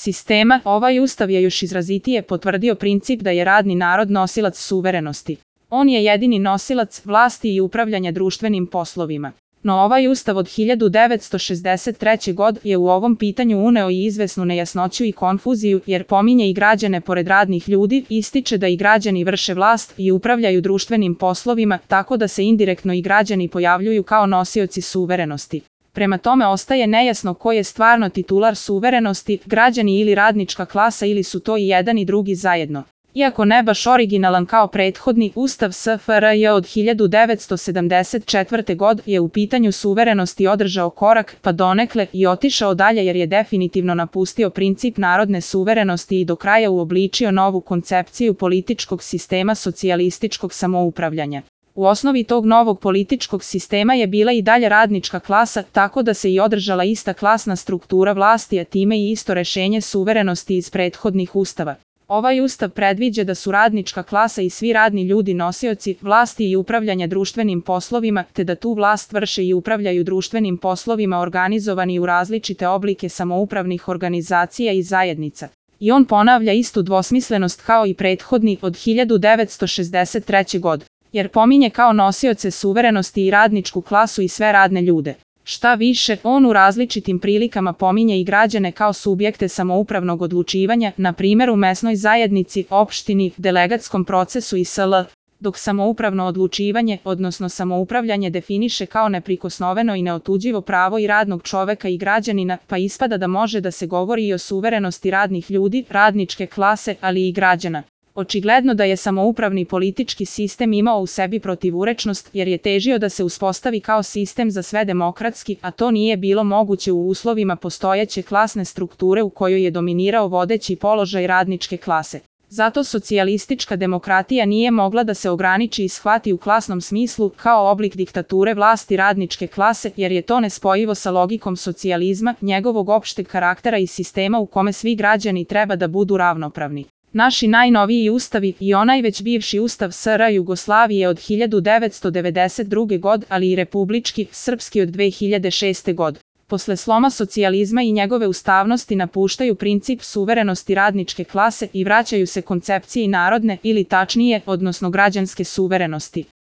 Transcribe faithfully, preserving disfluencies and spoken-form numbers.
sistema, ovaj ustav je još izrazitije potvrdio princip da je radni narod nosilac suverenosti. On je jedini nosilac vlasti i upravljanja društvenim poslovima. No ovaj ustav od hiljadu devetsto šezdeset treće. godine je u ovom pitanju uneo i izvesnu nejasnoću i konfuziju, jer pominje i građane pored radnih ljudi, ističe da i građani vrše vlast i upravljaju društvenim poslovima, tako da se indirektno i građani pojavljuju kao nosioci suverenosti. Prema tome ostaje nejasno ko je stvarno titular suverenosti, građani ili radnička klasa, ili su to i jedan i drugi zajedno. Iako ne baš originalan kao prethodni, Ustav S F R J od hiljadu devetsto sedamdeset četvrte. godine je u pitanju suverenosti održao korak, pa donekle i otišao dalje, jer je definitivno napustio princip narodne suverenosti i do kraja uobličio novu koncepciju političkog sistema socijalističkog samoupravljanja. U osnovi tog novog političkog sistema je bila i dalje radnička klasa, tako da se i održala ista klasna struktura vlasti, a time i isto rešenje suverenosti iz prethodnih ustava. Ovaj ustav predviđa da su radnička klasa i svi radni ljudi nosioci vlasti i upravljanja društvenim poslovima, te da tu vlast vrše i upravljaju društvenim poslovima organizovani u različite oblike samoupravnih organizacija i zajednica. I on ponavlja istu dvosmislenost kao i prethodni od hiljadu devetsto šezdeset treće. godine, jer pominje kao nosioce suverenosti i radničku klasu i sve radne ljude. Šta više, on u različitim prilikama pominje i građane kao subjekte samoupravnog odlučivanja, na primjer u mesnoj zajednici, opštini, delegatskom procesu i sl. Dok samoupravno odlučivanje, odnosno samoupravljanje, definiše kao neprikosnoveno i neotuđivo pravo i radnog čoveka i građanina, pa ispada da može da se govori i o suverenosti radnih ljudi, radničke klase, ali i građana. Očigledno da je samoupravni politički sistem imao u sebi protivurečnost, jer je težio da se uspostavi kao sistem za sve demokratski, a to nije bilo moguće u uslovima postojeće klasne strukture u kojoj je dominirao vodeći položaj radničke klase. Zato socijalistička demokratija nije mogla da se ograniči i shvati u klasnom smislu kao oblik diktature vlasti radničke klase, jer je to nespojivo sa logikom socijalizma, njegovog opšteg karaktera i sistema u kome svi građani treba da budu ravnopravni. Naši najnoviji ustavi i onaj već bivši ustav S R Jugoslavije od hiljadu devetsto devedeset druge. godine, ali i republički, srpski od dve hiljade šeste. godine. Posle sloma socijalizma i njegove ustavnosti napuštaju princip suverenosti radničke klase i vraćaju se koncepciji narodne ili tačnije, odnosno građanske suverenosti.